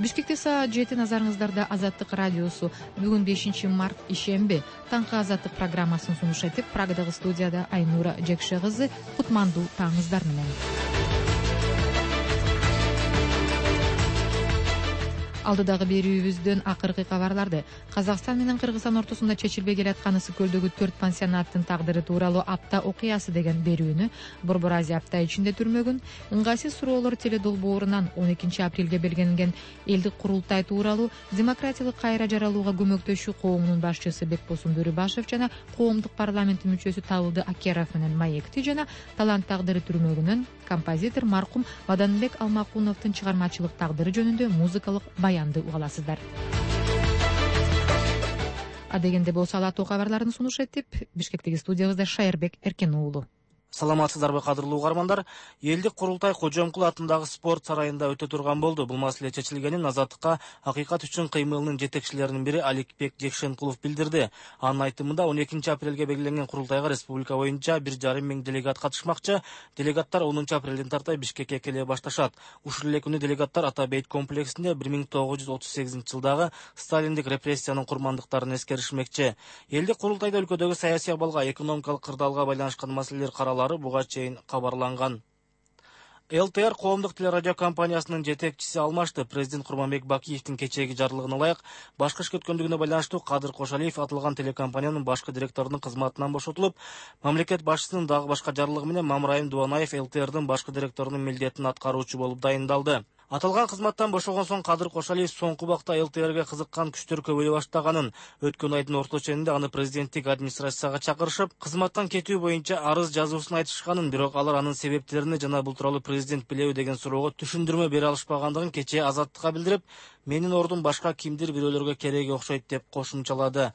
Бишкекте саат 7 назарыңыздарда Азаттык радиосу. Бүгүн 5-март ишемби. Таңкы Азаттык программасын сунуш этип, Прагадагы студияда Айнура Жекше кызы. Кутмандуу таңыңыздар менен. Алдыдагы берүүбүздөн акыркы кабарларды. Казакстан менен Кыргызстан ортосунда чечилбей келаткан Ысык көлдөгү 4 пансионаттын тагдыры тууралуу апта окуясы деген берүүнү Борбор Азия апта ичинде түрмөгүн, ыңгайсыз суроолор теледолбоорунан 12 апрелге белгиленген элдик курултай тууралуу демократиялык кайра жаралууга көмөктөшүү коомунун башчысы Бекбосун Бөрүбашев жана коомдук парламенттин мүчөсү Табылды Акеров менен маекти жана талант тагдыры түрмөгүнөн композитор маркум Баданбек Алмакуновдун чыгармачылык тагдыры жөнүндө музыкалык баянды угаласыздар. Адегенде болсо алаттуу кабарларын сунуш этип, Бишкектеги студиябызда Шайырбек Эркен уулу. Саламатсыздарбы, кадырлуу угармандар? Элдик курултай Кожомкул атындагы спорт сарайында өтө турган болду. Бул маселе чечилгенин Азаттыкка Акыйкат үчүн кыймылынын жетекчилеринин бири Аликбек Жекшенкулов билдирди. Анын айтымында 12 апрелге белгиленген курултайга республика боюнча 1,5 миң делегат катышмакчы. Делегаттар 10 апрелден тарта Бишкекке келе башташат. Ушул эле күнү делегаттар Ата Бейт комплексинде 1938-жылдагы сталиндик репрессиянын курмандыктарын эскеришмекчи. Элдик курултайда өлкөдөгү саясий абалга, экономикалык кырдаалга байланышкан маселелер каралары буга чейин кабарланган. ЛТР коомдук телерадио компаниясынын жетекчиси алмашты. Президент Курманбек Бакиевдин кечээги жарлыгына ылайык башкы иш өткөндүгүнө байланыштуу Кадыр Кошалиев аталган телекомпаниянын башкы директорунун кызматынан бошотулуп, мамлекет башчысынын дагы башка жарлыгы менен Мамраим Дубанаев ЛТРдин башкы директорунун милдетин аткаруучу болуп дайындалды. Аталган кызматтан бошогон соң Кадыр Кошалиев соңку убакта ЛТРге кызыккан күчтөр көбөйө баштаганын, өткөн айдын орто ченинде аны президенттик администрацияга чакырышып, кызматтан кетүү боюнча арыз жазуусун айтышканын, бирок алар анын себептерини жана бул тууралуу президент билеби деген суроого түшүндүрмө бере алышпагандыгын кечээ Азаттыкка билдирип, менин ордум башка кимдир бирөөлөргө кереги окшойт деп кошумчалады.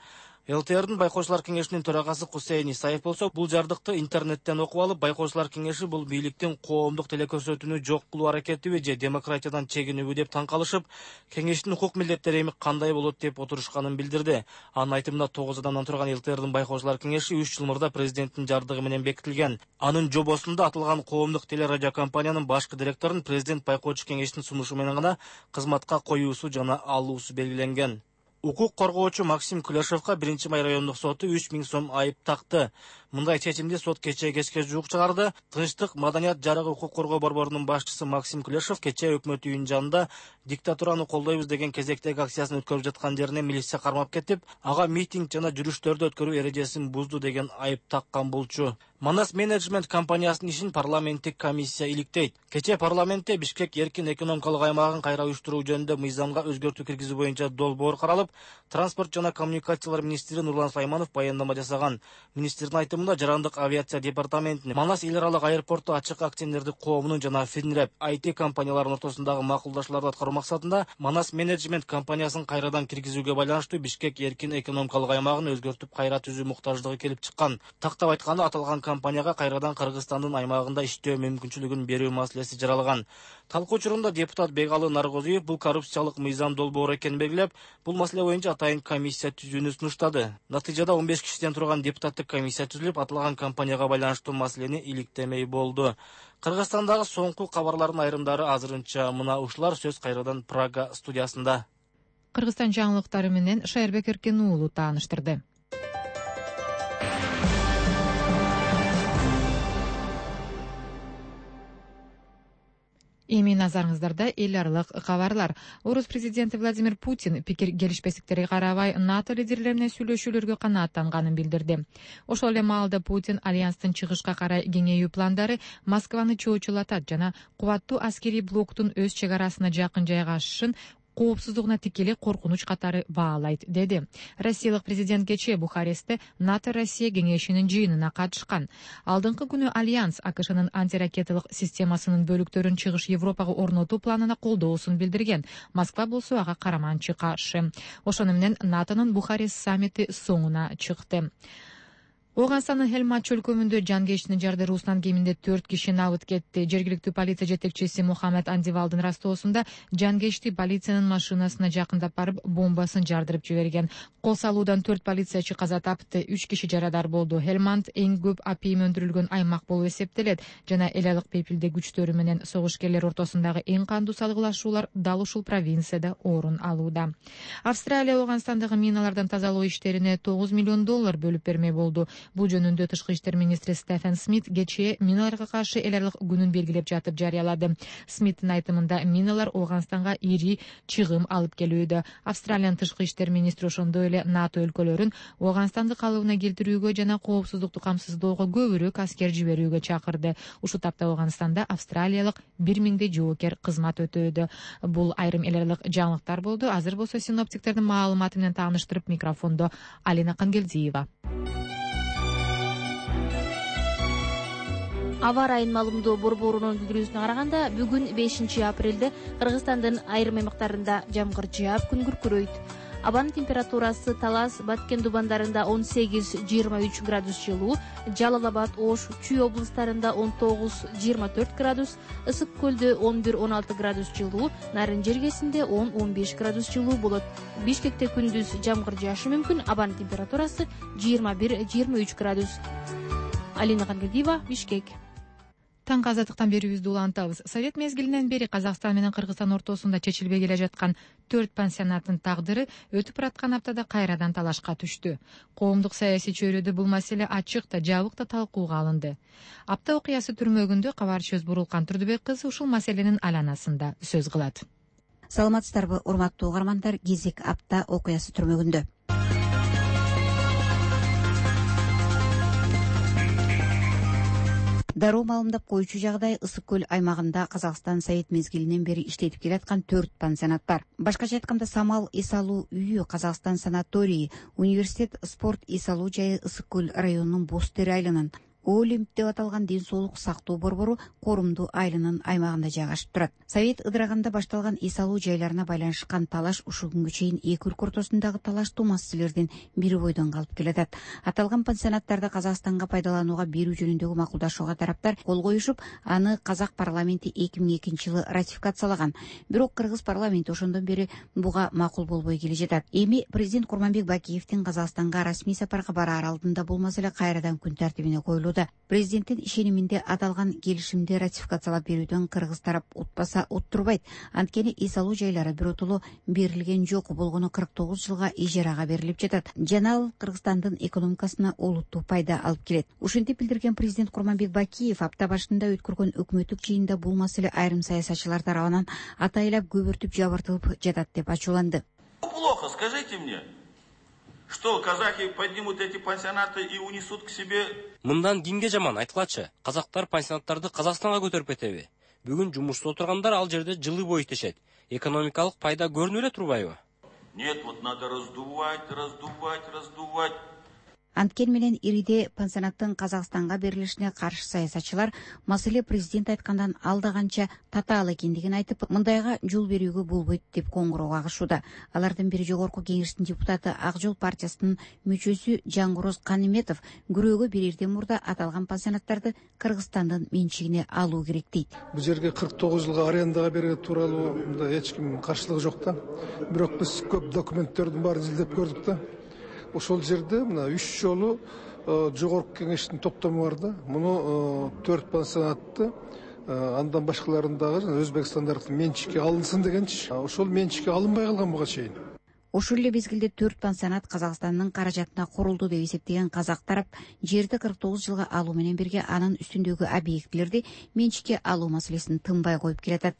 ЛТРдин байкоочулар кеңешинин төрагасы Кусейин Исаев болсо, бул жардыкты интернеттен окуп алып, байкоочулар кеңеши бул бийликтин коомдук телекөрсөтүүнү жок кылуу аракетиби же демократиядан чегинүүбү деп таң калышып, кеңештин укук милдеттери эми кандай болот деп отурушканын билдирди. Анын айтымында 9 адамдан турган ЛТРдин байкоочулар кеңеши 3 жыл мурда президенттин жардыгы менен бекитилген. Анын жобосунда аталган коомдук телерадио компаниянын башкы директорун президент байкоочу кеңештин сунушу менен гана кызматка коюусу жана алуусу белгиленген. Укук коргоочу Максим Кулешовго 1-май райондук соту 3 миң сом айып такты. Мындай чечимди сот кечээ кечке жуук чыгарды. Тынчтык, маданият жарыгы укук коргоо борборунун башчысы Максим Кулешов кечээ өкмөт үйүнүн жанында диктатураны колдойбуз деген кезектеги акциясын өткөрүп жаткан жерине милиция кармап кетип, ага митинг жана жүрүштөрдү өткөрүү эрежесин бузду деген айып таккан болчу. Манас менеджмент компаниясынын ишин парламенттик комиссия иликтейт. Кечээ парламентте Бишкек эркин экономикалык аймагын кайра уюштуруу жөнүндө мыйзамга өзгөртүү киргизүү боюнча долбоор каралып, транспорт жана коммуникациялар министри Нурлан Сайманов баяндама жасаган. Министрдин айтымында жарандык авиация департаментинин Манас эл аралык аэропорту ачык акционердик коомунун жана Финреп IT компанияларынын ортосундагы макулдашууларды аткаруу максатында Манас менеджмент компаниясын кайрадан киргизүүгө байланыштуу Бишкек эркин экономикалык аймагын өзгөртүп кайра түзүү муктаждыгы келип чыккан. Тактап айтканда, аталган компанияга кайрадан Кыргызстандын аймагында иштөө мүмкүнчүлүгүн берүү маселеси жаралган. Талкуу учурунда депутат Бегалы Наргозиев бул коррупциялык мыйзам долбоору экенин белгилеп, бул маселе боюнча атайын комиссия түзүүнү сунуштады. Натыйжада 15 кишиден турган депутаттык комиссия түзүлүп, аталган компанияга байланыштуу маселени иликтемей болду. Кыргызстандагы соңку кабарлардын айрымдары азырынча мына ушулар. Сөз кайрадан Прага студиясында. Кыргызстан жаңылыктары менен Шайырбек Эркен уулу тааныштырды. Эми назарыңыздарда эл аралык кабарлар. Орус президенти Владимир Путин пикир келишпестиктерге карабай НАТО лидерлери менен сүйлөшүүлөргө канааттанганын билдирди. Ошол эле маалда Путин альянстын чыгышка карай кеңейүү пландары Москваны чоочулатат жана кубаттуу аскерий блоктун өз чек арасына жакын жайгашышын коопсуздугуна тикелей коркунуч катары баалайт, деди. Россиялык президент кечээ Бухарестте НАТО-Россия кеңешинин жыйынына катышкан. Алдыңкы күнү Альянс АКШнын антиракеталык системасынын бөлүктөрүн чыгыш Европага орнотуу планына колдоосун билдирген. Москва болсо ага караманчы каршы. Ошону менен НАТОнун Бухарест саммити соңуна чыкты. Ооганстандын Хелманд чөлкөмүндө жангештин жарды Руслан кеминде 4 киши набыт кетти. Жергиликтүү полиция жетекчиси Мухаммед Андивалдын растоосунда жангешти полициянын машинасына жакындап барып бомбасын жардырып жиберген. Кол салуудан 4 полициячы каза тапты, 3 киши жарадар болду. Хелманд эң көп апийим өндүрүлгөн аймак болуп эсептелет жана эл алык пепилде күчтөрү менен согушкерлер ортосундагы эң кандуу салгылашуулар дал ушул провинцияда орун алууда. Австралия Ооганстандагы миналардан тазалоо иштерине $9 миллион бөлүп берме болду. Бул жөнүндө Тышкы иштер министри Стефен Смит кечээ миналарга каршы эл аралык күнүн белгилеп жатып жарыялады. Смиттин айтымында миналар Ооганстанга ири чыгым алып келүүдө. Австралиянын тышкы иштер министри ошондой эле НАТО өлкөлөрүн Ооганстанды калыбына келтирүүгө жана коопсуздукту камсыздоого көбүрөөк аскер жиберүүгө чакырды. Ушул тапта Ооганстанда австралиялык 1000 жоокер кызмат өтөөдө. Бул айрым эл аралык жаңылыктар болду. Азыр болсо синоптиктердин маалыматы менен тааныштырып, микрофондо Алина Кангелдиева. Аба ырайынын маалымдоо борборунун билдирүүсүнө караганда, бүгүн 5 апрелде Кыргызстандын айрым аймактарында жамгыр жаап, күн күркүрөйт. Абанын температурасы Талас, Баткен дубандарында 18-23 градус жылуу, Жалал Абад, Ош, Чүй облустарында 19-24 градус, Ысык көлдө 11-16 градус жылуу, Нарын жергесинде 10-15 градус жылуу болот. Бишкекте күндүз жамгыр жаашы мүмкүн, абанын температурасы 21-23 градус. Алина Кангелдиева, Бишкек. Таңкы азаттыктан берүүбүздү улантабыз. Совет мезгилинен бери Казакстан менен Кыргызстан ортосунда чечилбей келе жаткан 4 пансионаттын тагдыры өтүп бараткан аптада кайрадан талашка түштү. Коомдук саясий чөйрөдө бул маселе ачык да, жабык да талкууга алынды. Апта окуясы түрмөгүндө кабарчыбыз Бурулкан Турдубек кызы ушул маселенин айланасында сөз кылат. Саламатсыздарбы, урматтуу угармандар, кезек апта окуясы түрмөгүндө. Дароо маалымдап коюучу жагдай, Ысык көл аймагында Казакстан Совет мезгилинен бери иштетип келаткан 4 пансионат бар. Башкача айтканда, Самал эс алуу үйү, Казакстан санаторийи, университет, спорт эс алуу жайы Ысык көл районунун Боз Тери айылынын, Олимп деп аталган ден соолук сактоо борбору Корумду айылынын аймагында жайгашып турат. Совет ыдыраганда башталган эс алуу жайларына байланышкан талаш ушул күнгө чейин эки өлкө ортосундагы талаштуу маселелердин бири бойдон калып келатат. Аталган пансионаттарды Казакстанга пайдаланууга берүү жөнүндөгү макулдашууга тараптар кол коюшуп, аны Казак парламенти 2002-жылы ратификациялаган. Бирок Кыргыз парламенти ошондон бери буга макул болбой келе жатат. Эми президент Курманбек Бакиевдин Казакстанга расмий сапарга бараар алдында бул маселе кайрадан күн тартибине коюлууда. Президенттин ишениминде аталган келишимди ратификациялап берүүдөн Кыргыз тарап утпаса уттурбайт. Анткени эс алуу жайлары биротоло берилген жок, болгону 49 жылга ижарага берилип жатат. Жана ал Кыргызстандын экономикасына олуттуу пайда алып келет. Ушинтип билдирген президент Курманбек Бакиев апта башында өткөргөн өкмөттүк жыйында бул маселе айрым саясатчылар тарабынан атайлап көбөртүп жабыртылып жатат деп ачууланды. Плохо, скажите мне. Что, казахи поднимут эти пансионаты и унесут к себе? Мындан кимге жаман, айткылачы. Казактар пансионаттарды Казакстанга көтөрүп кетеби? Бүгүн жумушта отургандар ал жерде жылы бою иштешет. Экономикалык пайда көрүнүп эле турбайбы? Нет, вот надо раздувать. Анткени менен ириде пансионаттын Казакстанга берилишине каршы саясатчылар маселе президент айткандан алда канча татаал экендигин айтып, мындайга жол берүүгө болбойт деп коңгуроо кагышууда. Алардын бири жогорку кеңештин депутаты Ак Жол партиясынын мүчөсү Жангороз Каниметов күрөөгө берерден мурда аталган пансионаттарды Кыргызстандын менчигине алуу керек дейт. Бул жерге 49 жылга арендага берүү тууралуу эч ким каршылыгы жок да. Бирок биз көп документтердин баарын изилдеп көрдүк да. Ошол жерде мына 3 жолу жогорку кеңештин токтому бар да. Муну 4 пансионатты андан башкаларын дагы Өзбекстандардын менчикке алынсын дегенчи. Ошол менчикке алынбай калган буга чейин. Ошол эле мезгилде 4 пансионат Казакстандын каражатына курулду деп эсептеген казак тарап жерди 49 жылга алуу менен бирге анын үстүндөгү объектилерди менчикке алуу маселесин тынбай коюп келатат.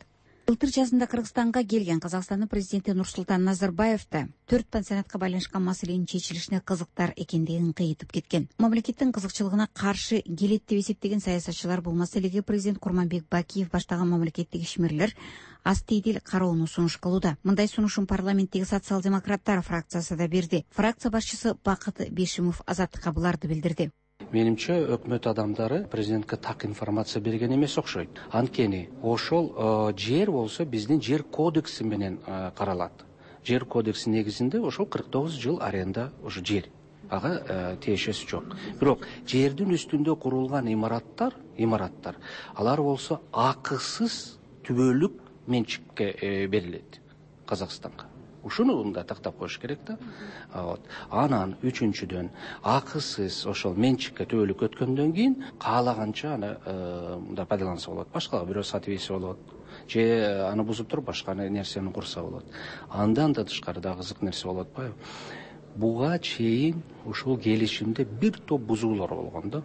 Былтыр жазында Кыргызстанга келген Казакстандын президенти Нурсултан Назарбаев да 4 пансионатка байланышкан маселенин чечилишине кызыктар экендигин кыйытып кеткен. Мамлекеттин кызыкчылыгына каршы келет деп эсептеген саясатчылар бул маселеге президент Курманбек Бакиев баштаган мамлекеттик ишмерлер астыйдил кароону сунуш кылууда. Мындай сунушун парламенттеги социал-демократтар фракциясы да берди. Фракция башчысы Бакыт Бешимов Азаттыкка буларды билдирди. Менимче өкмөт адамдары президентке так информация берген эмес окшойт. Анткени ошол жер болсо биздин жер кодекси менен каралат. Жер кодекси негизинде ошол 49 жыл аренда ошо жер. ага тиешеси жок. Бирок жердин үстүндө курулган имараттар алар болсо акысыз түбөлүк менчикке берилет Казакстанга. Ушуну да тактап коюш керек да. Анан үчүнчүдөн акысыз ошол менчикке түбөлүк өткөндөн кийин каалаганча аны мындай пайдаланса болот. Башкага бирөө сатып ийсе болот. Же аны бузуп туруп башка нерсени курса болот. Андан да тышкарыда кызык нерсе болуп атпайбы? Буга чейин ушул келишимде бир топ бузуулар болгон да.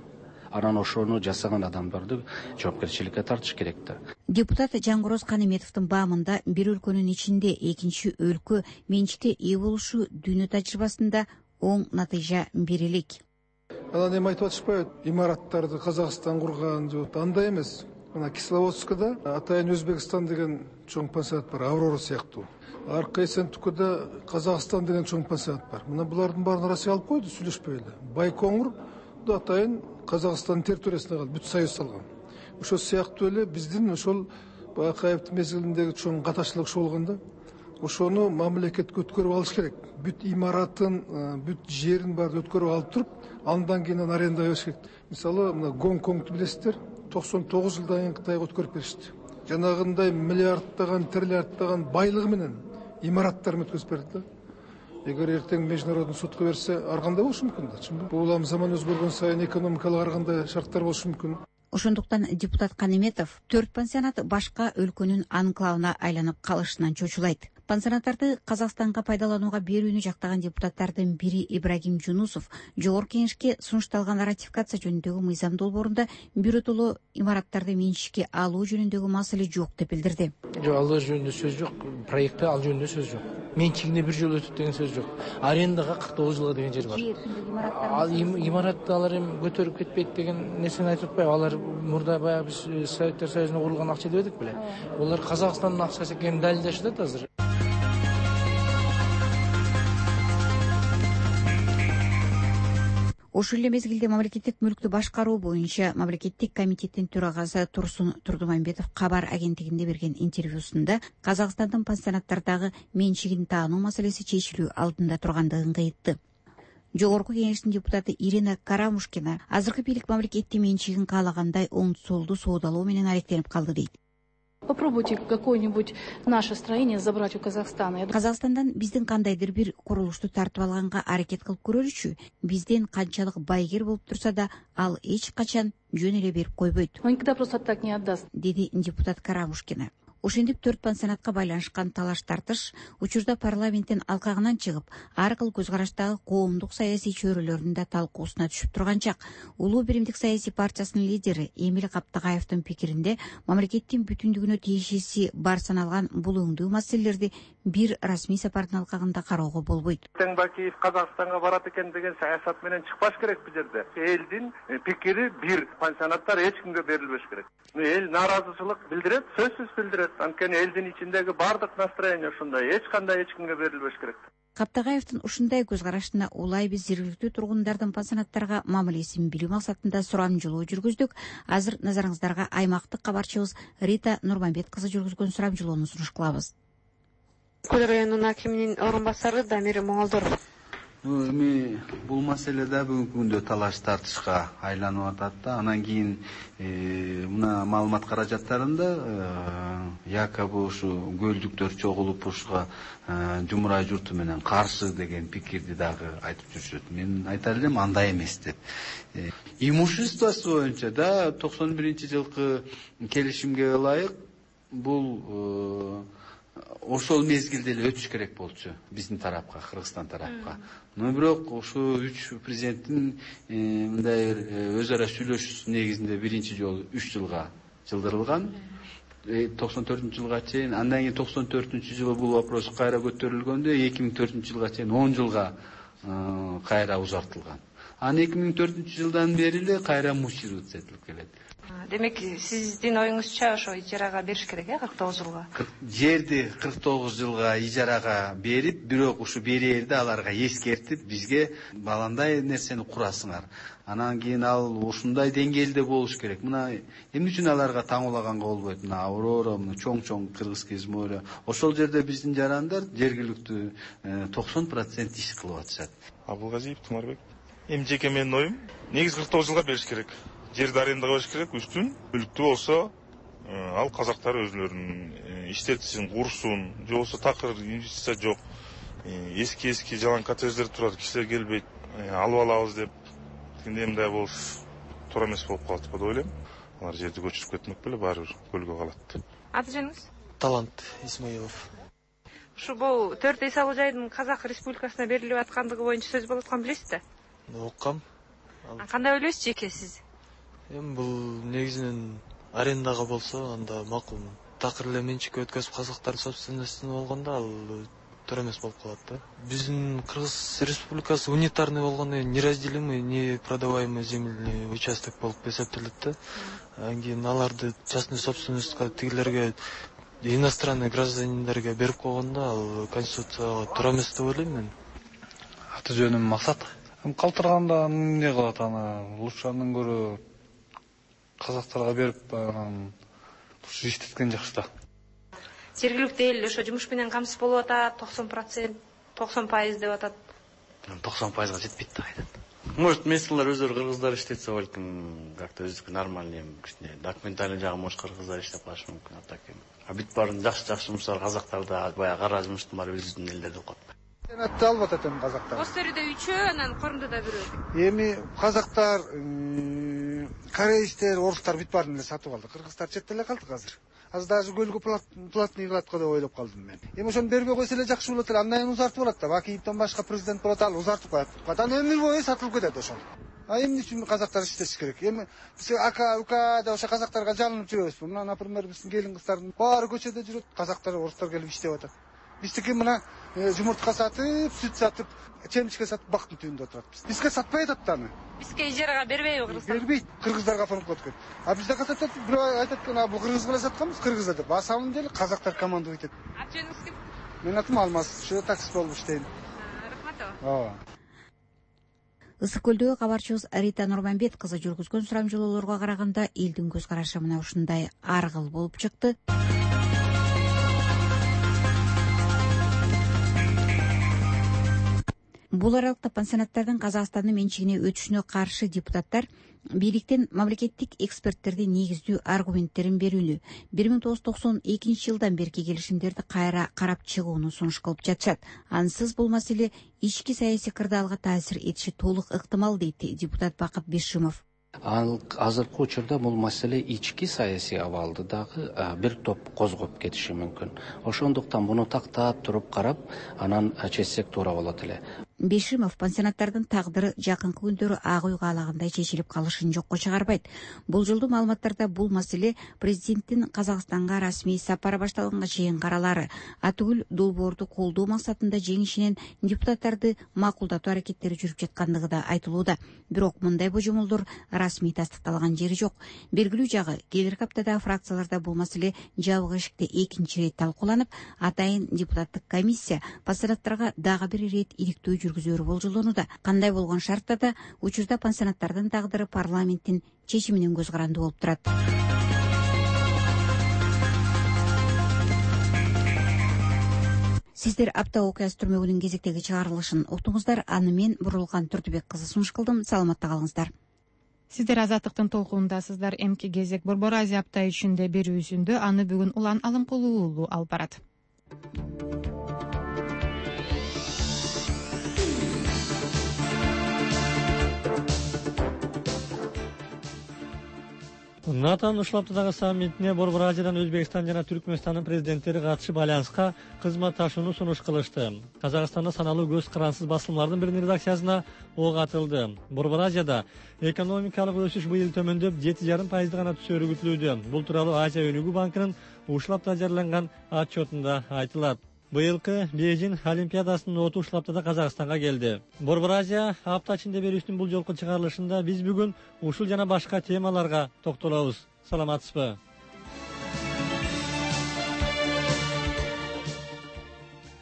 Анан ошону жасаган адамдарды жоопкерчиликке тартыш керек да. Депутат Жангороз Канеметовдун баамында бир өлкөнүн ичинде экинчи өлкө менчикке ээ болушу дүйнө тажрыйбасында оң натыйжа бере элек. Анан эми айтып атышпайбы, имараттарды Казакстан курган жок, андай эмес. Мына Кисловодскда атайын Өзбекстан деген чоң пансионат бар, Аврора сыяктуу. Арка Эсентукуда Казакстан деген чоң пансионат бар. Мына булардын баарын Россия алып койду, сүйлөшпөй эле. Байкоңур да атайын Казакстандын территориясына калды, бүт союз салган. Ошол сыяктуу эле биздин ошол Бакаевдин мезгилиндеги чоң катачылык ошо болгон да. Ошону мамлекетке өткөрүп алыш керек. Бүт имаратын, бүт жерин баарын өткөрүп алып туруп, андан кийин арендага бериш керек. Мисалы, мына Гонконгду билесиздер, 99 жылдан кийин Кытайга өткөрүп беришти. Жанагындай миллиардтаган, триллиардтаган байлыгы менен имараттарын өткөзүп берди да. Эгер эртең международный сотко берсе, ар кандай болушу мүмкүн да. Чынбы? Бул заман өзгөргөн сайын экономикалык ар кандай шарттар болушу мүмкүн. Ошондуктан депутат Канеметов 4 пансионат башка өлкөнүн анклавына айланып калышынан чочулайт. Пансионаттарды Казакстанга пайдаланууга берүүнү жактаган депутаттардын бири Ибрагим Жунусов Жогорку Кеңешке сунушталган ратификация жөнүндөгү мыйзам долбоорунда биротоло имараттарды менчикке алуу жөнүндөгү маселе жок деп билдирди. Жок, ал жөнүндө сөз жок. Проектте ал жөнүндө сөз жок. Менчигине бир жолу өтүп деген сөз жок. Арендага 49 жылга деген жер бар. Ал имаратты алар эми көтөрүп кетпейт деген нерсени айтып атпайбы? Алар мурда баягы биз Советтер Союзунда курулган акча деп эдик беле? Булар Казакстандын акчасы экенин далилдешет да азыр. Ошол эле мезгилде мамлекеттик мүлктү башкаруу боюнча мамлекеттик комитеттин төрагасы Турсун Турдумамбетов кабар агенттигинде берген интервьюсунда Казакстандын пансионаттардагы менчигин таануу маселеси чечилүү алдында тургандыгын кыйтты. Жогорку Кеңештин депутаты Ирина Карамушкина азыркы бийлик мамлекеттин менчигин каалагандай оң солду соодалоо менен аректенип калды дейт. Попробуйте какое-нибудь наше строение забрать у Казахстана. Казакстандан биздин кандайдыр бир курулушту тартып алганга аракет кылып көрөлүчү. Бизден канчалык байгер болуп турса да, ал эч качан жөн эле берип койбойт. Он никогда просто так не отдаст, деди депутат Карамушкина. Ошентип 4 пансионатка байланышкан талаш тартыш учурда парламенттин алкагынан чыгып, ар кыл көз караштагы коомдук саясий чөйрөлөрдүн да талкуусуна түшүп турган чак. Улуу биримдик саясий партиясынын лидери Эмил Каптагаевдин пикиринде, мамлекеттин бүтүндүгүнө тиешеси бар саналган бул өңдүү маселелерди бир расмий сапардын алкагында кароого болбойт. Бакиев Казакстанга барат экен деген саясат менен чыкпаш керек бул жерде. Элдин пикири бир, пансионаттар эч кимге берилбеш керек. Эл нааразычылык билдирет, сөзсүз билдирет. Анткени элдин ичиндеги бардык настроение ушундай, эч кандай эч кимге берилбеш керек. Каптагаевдин ушундай көз карашына улай биз жергиликтүү тургундардын пансионаттарга мамилесин билүү максатында сурамжылоо жүргүздүк. Азыр назарыңыздарга аймактык кабарчыбыз Рита Нурманбет кызы жүргүзгөн сурамжылоону сунуш кылабыз. Көл районунун акиминин орун басары Дамир Моңолдоров. Эми бул маселе да бүгүнкү күндө талаш тартышка айланып атат да. Анан кийин мына маалымат каражаттарында якобы ушу көлдүктөр чогулуп ушуга жумурай журту менен каршы деген пикирди дагы айтып жүрүшөт. Мен айтар элем андай эмес деп. Имуществосы боюнча да 91-жылкы келишимге ылайык бул ошол мезгилде эле өтүш керек болчу биздин тарапка, Кыргызстан тарапка. Но бирок ушу 3 президенттин мындай өз ара сүйлөшүүсү негизинде биринчи жолу 3 жылга жылдырылган. 94-жылга чейин, андан кийин 94-жылы бул вопрос кайра көтөрүлгөндө 2004-жылга чейин 10 жылга кайра узартылган. Анан 2004-жылдан бери эле кайра муштирууция этилип келет. Демек, сиздин оюңузча ошо ижарага бериш керек, 49 жылга. Жерди 49 жылга ижарага берип, бирок ушу берээрде аларга эскертип, бизге баландай нерсени курасыңар. Анан кийин ал ушундай деңгээлде болуш керек. Мына эмне үчүн аларга таңуулаганга болбойт? Мына Аврора, мына чоң-чоң Кыргызский море. Ошол жерде биздин жарандар жергиликтүү 90% иш кылып атышат. Абылгазиев Тумарбек. Эми жеке менин оюм негизи 49 жылга бериш керек. Жерди арендага бериш керек, үстүн мүлктүү болсо ал казактар өзүлөрүнүн иштетсин, курсун, же болбосо такыр инвестиция жок. Эски жалаң коттедждер турат, кишилер келбейт, алып алабыз деп. Эми мындай болуш туура эмес болуп калат деп ойлойм. Алар жерди көчүрүп кетмек беле, баары бир көлгө калат. Аты жөнүңүз? Талант Исмаилов. Бул 4 үй салуу жайдын Казак Республикасына берилип аткандыгы боюнча сөз болуп атканын билесизби? Оккам. Кандай ойлойсуз жеке сиз? Эми бул негизинен арендага болсо анда макул. Такыр эле менчикке өткөзүп казактардын собственностуна болгондо ал туура эмес болуп калат да. Биздин Кыргыз Республикасы унитарный болгондо неразделимый, непродаваемый земельный участок болуп эсептелет да. Анан кийин аларды частный собственностька тигилерге иностранный гражданиндерге берип койгондо ал конституцияга туура эмес деп ойлойм мен. Аты жөнүм Максат. Калтырганда эмне кылат аны? Лучше андан көрө казактарга берип анан иштеткен жакшы да. Жергиликтүү эл ошо жумуш менен камсыз болуп атат, 90% деп атат. 90%га жетпейт да кайдан. Может, местныйлар өздөрү кыргыздар иштетсе балким как-то өздүкү нормальный кичине документальный жагы может кыргыздар иштеп калышы мүмкүн, а так эми. А бүт баарын жакшы жумуштар казактарда, баягы кара жумуштун баары биздин элдерде калат. Сенатты алып атат эми казактар. Костөрүдө 3, анан Корумдуда 1. Эми казактар, кореецтер, орустар бүт баарын эле сатып алды. Кыргыздар четте эле калды азыр. Азыр даже көлгө платный кылат го деп ойлоп калдым мен. Эми ошону бербей койсо эле жакшы болот эле. Андан кийин узартып алат да. Бакиевден башка президент болот, ал узартып коет. Кадан өмүр бою сатылып кетет ошол. А эмне үчүн казактар иштеш керек? Эми биз ака, ука деп ошо казактарга жалынып жүрөбүзбү? Мына, например, биздин келин кыздардын баары көчөдө жүрөт, казактар, орустар келип иштеп атат. Биздики мына жумуртка сатып, сүт сатып, чемичке сатып бактын түбүндө отурат. Бизге сатпай атат да аны. Бизге ижарага бербейби Кыргызстан? Бербейт. Кыргыздарга фонд коет. А бизде катат бирөө айтат экен, бул кыргызга эле сатканбыз, кыргызда деп. А самом деле казактар командовать этет. Аты жөнүңүз ким? Менин атым Алмаз. Ошо таксист болуп иштейм. Рахмат. Ооба. Ысык көлдөгү кабарчыбыз Рита Нурманбет кызы жүргүзгөн сурамжылоолорго караганда элдин көз карашы мына ушундай ар кыл болуп чыкты. Бул аралыкта пансионаттардын Казакстандын менчигине өтүшүнө каршы депутаттар бийликтен мамлекеттик эксперттердин негиздүү аргументтерин берүүнү, 1992 жылдан берки келишимдерди кайра карап чыгууну сунуш кылып жатышат. Ансыз бул маселе ички саясий кырдаалга таасир этиши толук ыктымал дейт депутат Бакыт Бишимов. Ал азыркы учурда бул маселе ички саясий абалды дагы бир топ козгоп кетиши мүмкүн. Ошондуктан муну тактап туруп карап, анан чечсек туура болот эле. Бешимов пансионаттардын тагдыры жакынкы күндөрү ак үй каалагандай чечилип калышын жокко чыгарбайт. Бул жолдуу маалыматтарда бул маселе президенттин Казакстанга расмий сапары башталганга чейин каралары, атүгүл долбоорду колдоо максатында жеңишинен депутаттарды макулдатуу аракеттери жүрүп жаткандыгы да айтылууда. Бирок мындай божомолдор расмий тастыкталган жери жок. Белгилүү жагы, келерки аптада фракцияларда бул маселе жабык эшикте экинчи ирет талкууланып, атайын депутаттык комиссия пансионаттарга дагы бир ирет иликтөө жүргүзөөрү болжолдонууда. Кандай болгон шартта да учурда пансионаттардын тагдыры парламенттин чечиминен көз каранды болуп турат. Сиздер апта окуясы түрмөгүнүн кезектеги чыгарылышын уктуңуздар. Аны мен Бурулган Турдубек кызы сунуш кылдым. Саламатта калыңыздар. Сиздер Азаттыктын толкунундасыздар. Эмки кезек Борбор Азия апта ичинде берүүсүндө аны бүгүн Улан Алымкулуу уулу алып барат. НАТОнун ушул аптадагы саммитине Борбор Азиядан Өзбекстан жана Түркмөнстандын президенттери катышып альянска кызматташууну сунуш кылышты. Казакстанда саналуу көз карансыз басылмалардын биринин редакциясына ок атылды. Борбор Азияда экономикалык өсүш быйыл төмөндөп 7,5% гана түшөөрү күтүлүүдө. Бул тууралуу Азия өнүгүү банкынын ушул апта жарыяланган отчетунда айтылат. Быйылкы Бейжин Олимпиадасынын оту ушул аптада Казакстанга келди. Борбор Азия апта ичинде берүүсүнүн бул жолку чыгарылышында биз бүгүн ушул жана башка темаларга токтолобуз. Саламатсызбы?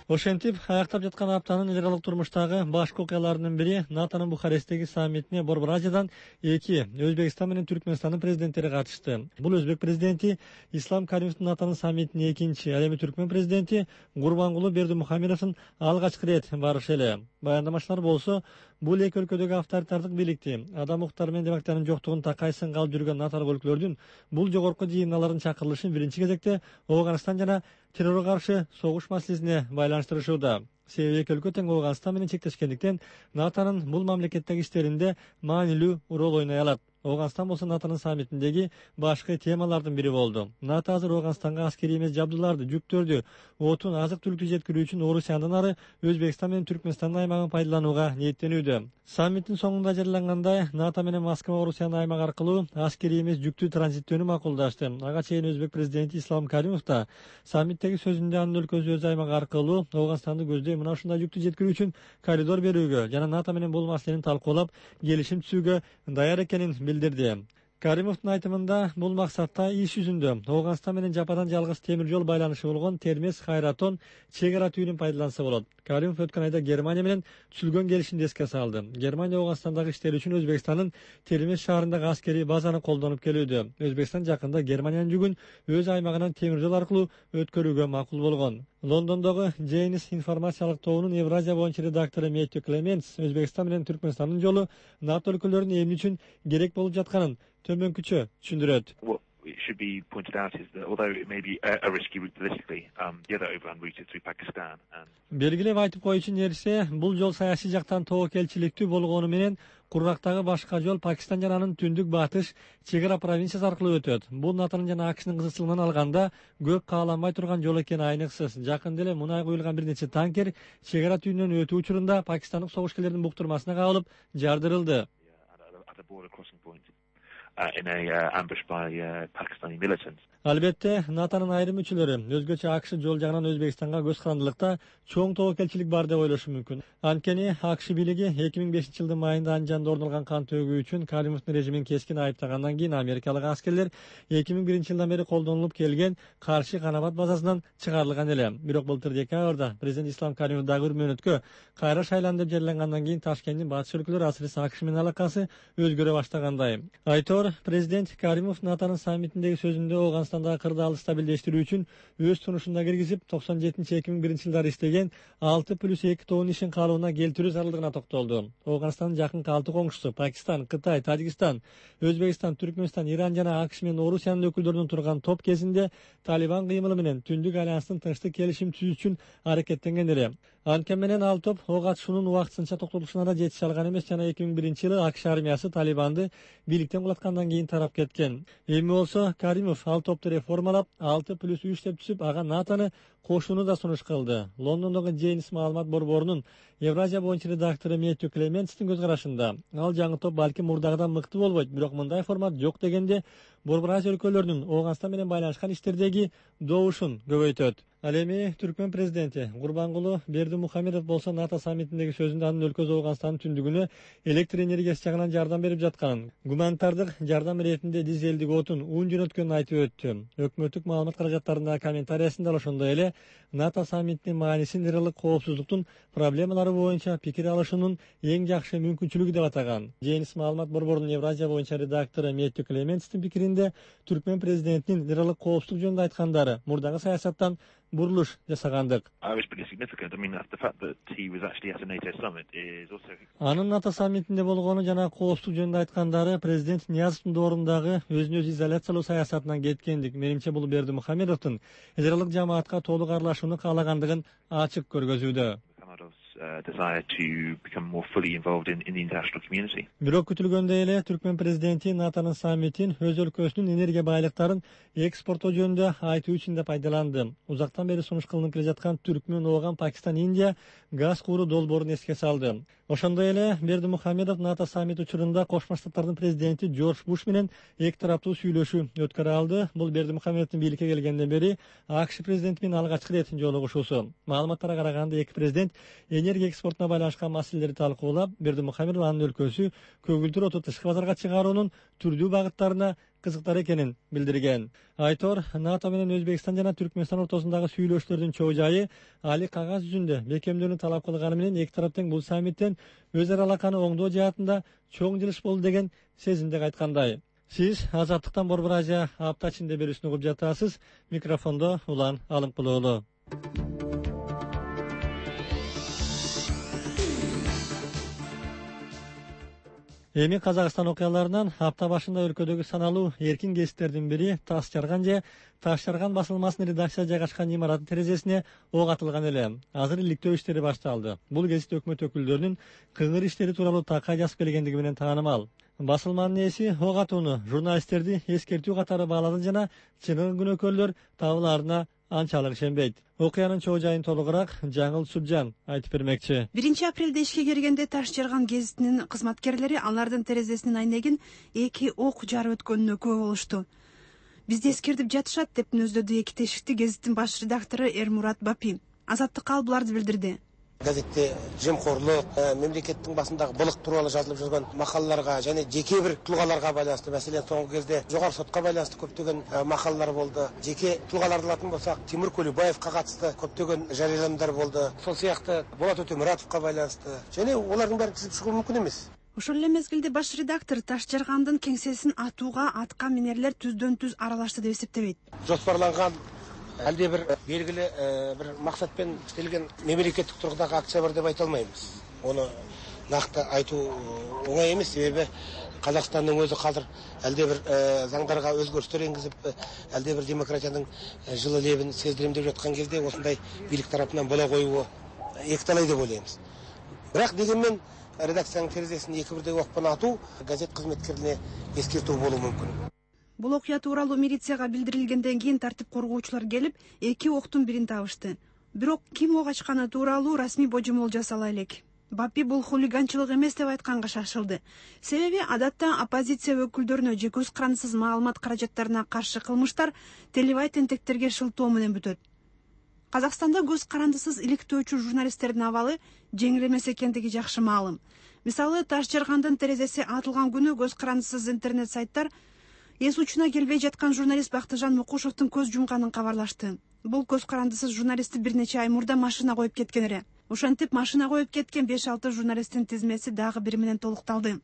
Ошентип, аяктап жаткан аптанын эл калык турмуштагы башкы окуяларынын бири НАТОнун Бухаресттеги саммитине Борбор Азиядан 2 Өзбекстан менен Түркмөнстандын президенттери катышты. Бул Өзбек президенти Ислам Каримовдун НАТОнун саммитине экинчи, ал эми Түркмөн президенти Гурбангулы Бердимухамедовдун алгачкы ирет барышы эле. Баяндамачылар болсо Бул эки өлкөдөгү авторитардык бийликти, адам укуктары менен демократиянын жоктугун такай сынга алып жүргөн наталык өлкөлөрдүн бул жогорку жыйындарынын чакырылышын биринчи кезекте Ооганстан жана террорго каршы согуш маселесине байланыштырышууда. Себеби эки өлкө тең Ооганстан менен чектешкендиктен НАТОнун бул мамлекеттеги иштеринде маанилүү роль ойной алат. Ооганстан болсо НАТОнун саммитиндеги башкы темалардын бири болду. НАТО азыр Ооганстанга аскерий эмес жабдууларды, жүктөрдү, отун, азык-түлүктү жеткирүү үчүн Орусияндан ары Өзбекстан менен Түркмөнстандын аймагын пайдаланууга ниеттенүүдө. Саммиттин соңунда жарыялангандай, НАТО менен Москва Орусиянын аймагы аркылуу аскерий эмес жүктү транзиттөөнү макулдашты. Ага чейин Өзбек президенти Ислам Каримов да саммиттеги сөзүндө анын өлкөсү өз аймагы аркылуу Ооганстанды көздөй мына ушундай жүктү жеткирүү үчүн коридор берүүгө жана НАТО менен бул маселени талкуулап келишим түзүүгө даяр экенин билдирди. Каримовдун айтымында бул максатта иш жүзүндө Ооганстан менен жападан жалгыз темир жол байланышы болгон Термез-Хайратон чек ара түйүнүн пайдаланса болот. Каримов өткөн айда Германия менен түзүлгөн келишимди эске салды. Германия Ооганстандагы иштери үчүн Өзбекстандын Термез шаарындагы аскерий базаны колдонуп келүүдө. Өзбекстан жакында Германиянын жүгүн өз аймагынан темир жол аркылуу өткөрүүгө макул болгон. Лондондогу Джейнис информациялык тобунун Евразия боюнча редактору Мэттью Клементс Өзбекстан менен Түркмөнстандын жолу НАТО өлкөлөрүнүн эмне үчүн керек болуп жатканын төмөнкүчө түшүндүрөт. It should be pointed out is that although it may be a risky route politically, the other overland route is through Pakistan. Белгилеп айтып коюучу нерсе, бул жол саясий жактан тобокелчиликтүү болгону менен кургактагы башка жол Пакистан жана анын түндүк батыш чек ара провинциясы аркылуу өтөт. Бул НАТОнун жана АКШнын кызыкчылыгынан алганда көп кааланбай турган жол экени айныксыз. Жакында эле мунай куюлган бир нече танкер чек ара түйүнүнөн өтүү учурунда пакистандык согушкерлердин буктурмасына кабылып жардырылды. In a ambush by Pakistani militants. Албетте, НАТОнун айрым мүчөлөрү өзгөчө АКШ жол жагынан Өзбекстанга көз карандылыкта чоң тобокелчилик бар деп ойлошу мүмкүн. Анткени АКШ бийлиги 2005-жылдын майында Анжанда орун алган кан төгүү үчүн Каримовдун режимин кескин айыптагандан кийин америкалык аскерлер 2001-жылдан бери колдонулуп келген каршы Канабат базасынан чыгарылган эле. Бирок былтыр декабрда президент Ислам Каримов дагы бир мөөнөткө кайра шайланды деп жарыялангандан кийин Ташкенттин батыш өлкөлөрү асырысы АКШ менен алакасы өзгөрө баштагандай. Айтор президент Каримов НАТОнун саммитиндеги сөзүндө Ооганстандагы кырдаалды стабилдештирүү үчүн өз сунушуна киргизип 97-2001-жылдары иштеген 6+2 тобунун ишин калыбына келтирүү зарылдыгына токтолду. Ооганстандын жакынкы 6 коңшусу Пакистан, Кытай, Тажикстан, Өзбекстан, Түркмөнстан, Иран жана АКШ менен Орусиянын өкүлдөрүнүн турган топ кезинде Талибан кыймылы менен Түндүк альянстын тынчтык келишим түзүү үчүн аракеттенген эле. Анткени менен ал топ ого катышуунун убактысынча токтотулушуна да жетише алган эмес жана 2001-жылы АКШ армиясы Талибанды бийликтен кулаткандан кийин тарап кеткен. Эми болсо Каримов ал топту реформалап 6+3 деп түзүп, ага НАТОну кошууну да сунуш кылды. Лондондогу Джейнис маалымат борборунун Евразия боюнча редактору Мэттью Клементстин көз карашында ал жаңы топ балким мурдагыдан мыкты болбойт, бирок мындай формат жок дегенде Борбор Азия өлкөлөрүнүн Ооганстан менен байланышкан иштердеги добушун көбөйтөт. Ал эми Түркмөн президенти Гурбангулы Бердимухамедов болсо НАТО саммитиндеги сөзүндө анын өлкөсү Ооганстандын түндүгүнө электр энергиясы жагынан жардам берип жатканын, гуманитардык жардам иретинде дизелдик отун, ун жөнөткөнүн айтып өттү. Өкмөттүк маалымат каражаттарындагы комментариясында ошондой эле НАТО саммитинин маанисин ырылык коопсуздуктун проблемалары боюнча пикир алышуунун эң жакшы мүмкүнчүлүгү деп атаган. Джейнис маалымат борборунун Евразия боюнча редактору Мэттью Клементстин пикиринде Түркмөн президентинин ырылык коопсуздук жөнүндө айткандары мурдагы саясаттан бурулуш жасагандык. Анын НАТО саммитинде болгону жана коопсуздук жөнүндө айткандары президент Ниязовдун доорундағы өзүн өзү изоляциялоо саясатынан кеткендик. Менимче бул Бердимухамедовдун ырылык жамаатка толук аралашууну каалагандыгын ачык көргөзүүдө. Бирок күтүлгөндөй эле Түркмөн президенти НАТОнун саммитин өз өлкөсүнүн энергия байлыктарын экспорттоо жөнүндө айтуу үчүн да пайдаланды. Узактан бери сунуш кылынып келе жаткан Түркмөн, Ооган, Пакистан, Индия газ кууру долбоорун эске салды. Ошондой эле Бердимухамедов НАТО саммит учурунда Кошмо Штаттардын президенти Джордж Буш менен эки тараптуу сүйлөшүү өткөрө алды. Бул Бердимухамедовдун бийликке келгенден бери АКШ президенти менен алгачкы рет жолугушуусу. Маалыматтарга караганда эки президент энергия экспортуна байланышкан маселелерди талкуулап, Бердимухамедов анын өлкөсү көгүлдүр оту тышкы базарга чыгаруунун түрдүү багыттарына кызыктар экенин билдирген. Айтор НАТО менен Өзбекстан жана Түркмөнстан ортосундагы сүйлөшүүлөрдүн чоо жайы али кагаз жүзүндө бекемдөөнү талап кылганы менен эки тарап тең бул саммиттен өз ара алаканы оңдоо жаатында чоң жылыш болду деген сезимде айткандай. Сиз Азаттыктан Борбор Азия апта ичинде берүүсүн угуп жатасыз. Микрофондо Улан Алымкулуулу. Эми Казакстан окуяларынан апта башында өлкөдөгү саналуу эркин гезиттердин бири Таш жарган басылмасынын редакция жайгашкан имараттын терезесине ок атылган эле. Азыр иликтөө иштери башталды. Бул гезит өкмөт өкүлдөрүнүн кыңгыр иштери тууралуу такай жазып келгендиги менен таанымал. Басылманын ээси ок атууну журналисттерди эскертүү катары баалады жана чыныгы күнөөкөрлөр табылаарына анчалык ишенбейт. Окуянын чоо жайын толугураак Жаңыл Субжан айтып бермекчи. 1-апрелде ишке киргенде Таш жарган гезитинин кызматкерлери алардын терезесинин айнегин 2 ок жарып өткөнүнө күбө болушту. Бизди эскертип жатышат деп нөздөдү 2 тешикти гезиттин баш редактору Эрмурат Бапи. Азаттыкка ал буларды билдирди. Газетте жемкорлук, мемлекеттин басындагы былык тууралуу жазылып жүргөн макалаларга жана жеке бир тулгаларга байланыштуу, маселен соңку кезде жогорку сотко байланыштуу көптөгөн макалалар болду. Жеке тулгаларды алатын болсак, Тимур Кулибаевка катысты көптөгөн жарыяламдар болду. Сол сыяктуу Болот Өтөмуратовго байланыштуу. Жана алардын баарын тизип чыгуу мүмкүн эмес. Ошол эле мезгилде баш редактор Таш жаргандын кеңсесин атууга атка минерлер түздөн-түз аралашты деп эсептебейт. Жоспарланган әлде бір белгілі бір мақсатпен істелген мемлекеттік тұрғыдағы акция бар деп айта алмаймыз. Оны нақты айту оңай емес, себебі Қазақстанның өзі қазір әлде бір заңдарға өзгерістер енгізіп, әлде бір демократияның жылы лебін сездіремдеп жатқан кезде осындай билік тарапынан бола қоюы екіталай деп ойлаймыз. Бірақ дегенмен редакцияның терезесін екі бірдей оқпен ату газет қызметкеріне ескерту болуы мүмкін. Бул окуя тууралуу милицияга билдирилгенден кийин тартип коргоочулар келип, 2 октун бирин табышты. Бирок ким ок ачканы тууралуу расмий божомол жасала элек. Бапи бул хулиганчылык эмес деп айтканга шашылды. Себеби адатта оппозиция өкүлдөрүнө же көз карандысыз маалымат каражаттарына каршы кылмыштар телебай тентектерге шылтоо менен бүтөт. Казакстанда көз карандысыз иликтөөчү журналисттердин абалы жеңил эмес экендиги жакшы маалым. Мисалы, Таш жаргандын терезеси атылган күнү көз карандысыз интернет сайттар эс учуна келбей жаткан журналист Бактыжан Мукушевдин көз жумганын кабарлашты. Бул көз карандысыз журналистти бир нече ай мурда машина коюп кеткен эле. Ошентип машина коюп кеткен 5-6 журналисттин тизмеси дагы бири менен толукталды.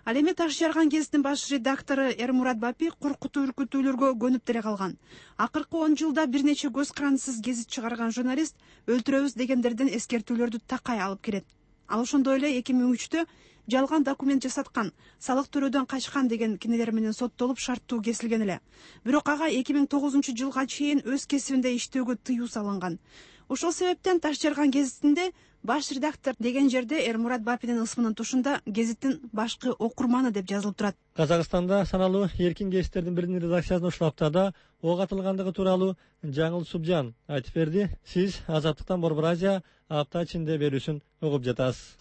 Ал эми Таш жарган гезиттин баш редактору Эрмурат Бапи коркутуу үркүтүүлөргө көнүп деле калган. Акыркы 10 жылда бир нече көз карандысыз гезит чыгарган журналист өлтүрөбүз дегендерден эскертүүлөрдү такай алып келет. Ал ошондой эле 2003-тө жалган документ жасаткан, салык төлөөдөн качкан деген кинелер менен соттолуп шарттуу кесилген эле. Бирок ага 2009-жылга чейин өз кесибинде иштөөгө тыюу салынган. Ошол себептен Таш жарган гезитинде баш редактор деген жерде Эрмурат Бапинин ысмынын тушунда гезиттин башкы окурманы деп жазылып турат. Казакстанда саналуу эркин гезиттердин биринин редакциясына ушул аптада ок атылгандыгы тууралуу Жаңыл Субжан айтып берди. Сиз Азаттыктан Борбор Азия апта ичинде берүүсүн угуп жатасыз.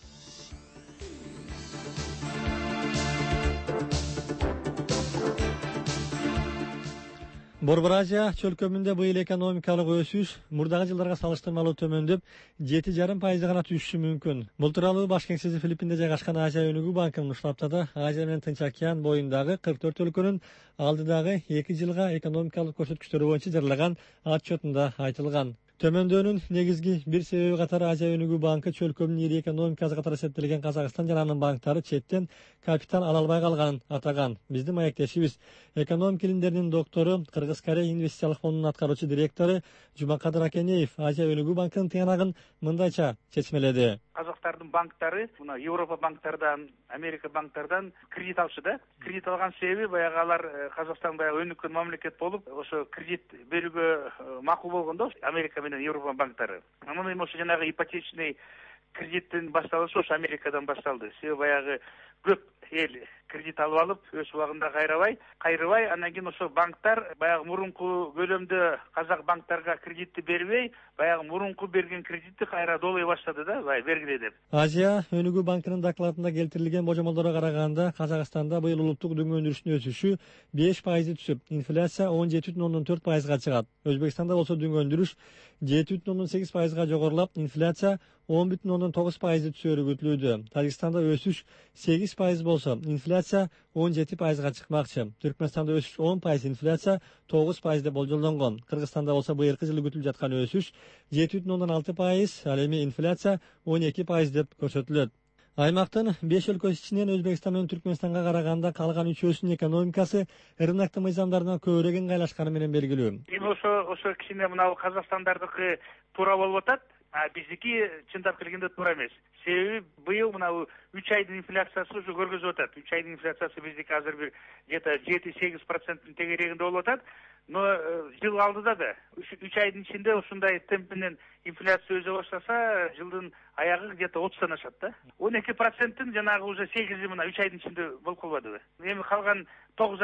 Борбор Азия чөлкөмүндө быйыл экономикалык өсүш мурдагы жылдарга салыштырмалуу төмөндөп 7,5% гана түшүшү мүмкүн. Бул тууралуу баш кеңсеси Филиппинде жайгашкан Азия өнүгүү банкынын ушул аптада Азия менен Тынч океан боюндагы 44 өлкөнүн алдыдагы 2 жылга экономикалык көрсөткүчтөрү боюнча жарылаган отчетунда айтылган. Төмөндөөнүн негизги бир себеби катары Азия өнүгүү банкы чөлкөмдүн ири экономикасы катары эсептелген Казакстан жана анын банктары четтен капитал ала албай калганын атаган. Биздин маектешибиз экономика илимдеринин доктору, Кыргыз-Корея инвестициялык фондунун аткаруучу директору Жумакадыр Акенеев Азия өнүгүү банкынын тыянагын мындайча чечмеледи. Казактардын банктары мына Европа банктардан, Америка банктардан кредит алышы да. Кредит алган себеби баягы алар Казакстан баягы өнүккөн мамлекет болуп, ошо кредит берүүгө макул болгондо Америка менен Европа банктары. Анан эми ошо жанагы ипотечный кредиттин башталышы ошо Америкадан башталды. Себеби баягы көп эл кредит алып өз убагында кайрыбай, анан кийин ошо банктар баягы мурунку көлөмдө казак банктарга кредитти бербей, баягы мурунку берген кредитти кайра доолой баштады да, баягы бергиле деп. Азия өнүгүү банкынын докладында келтирилген божомолдорго караганда, Казакстанда быйыл улуттук дүң өндүрүшүнүн өсүшү 5% түшүп, инфляция 17,4%га чыгат. Өзбекстанда болсо дүң өндүрүш 7,8%га жогорулап, инфляция 10,9% түшөөрү күтүлүүдө. Тажикстанда өсүш 8% болсо, инфляция 17%га чыкмакчы. Түркмөнстанда өсүш 10%, инфляция 9% деп болжолдонгон. Кыргызстанда болсо быйылкы жылы күтүлүп жаткан өсүш 7,6%, ал эми инфляция 12% деп көрсөтүлөт. Аймактын 5 өлкөсү ичинен Өзбекстан менен Түркмөнстанга караганда калган 3-өсүнүн экономикасы рыноктун мыйзамдарына көбүрөөк ыңгайлашканы менен белгилүү. Эми ошо кичине мына Казакстандардыкы туура болуп атат. Биздики чындап келгенде туура эмес. Себеби быйыл мына 3 айдын инфляциясы уже көргөзүп атат. 3 айдын инфляциясы биздики азыр бир где-то 7-8% тегерегинде болуп атат. Но жыл алдыда да 3 айдын ичинде ушундай темп менен инфляция өзө баштаса, жылдын аягы где-то 30 ашат да. 12%-тин жанагы уже 8 мына 3 айдын ичинде болуп калбадыбы? Эми калган 9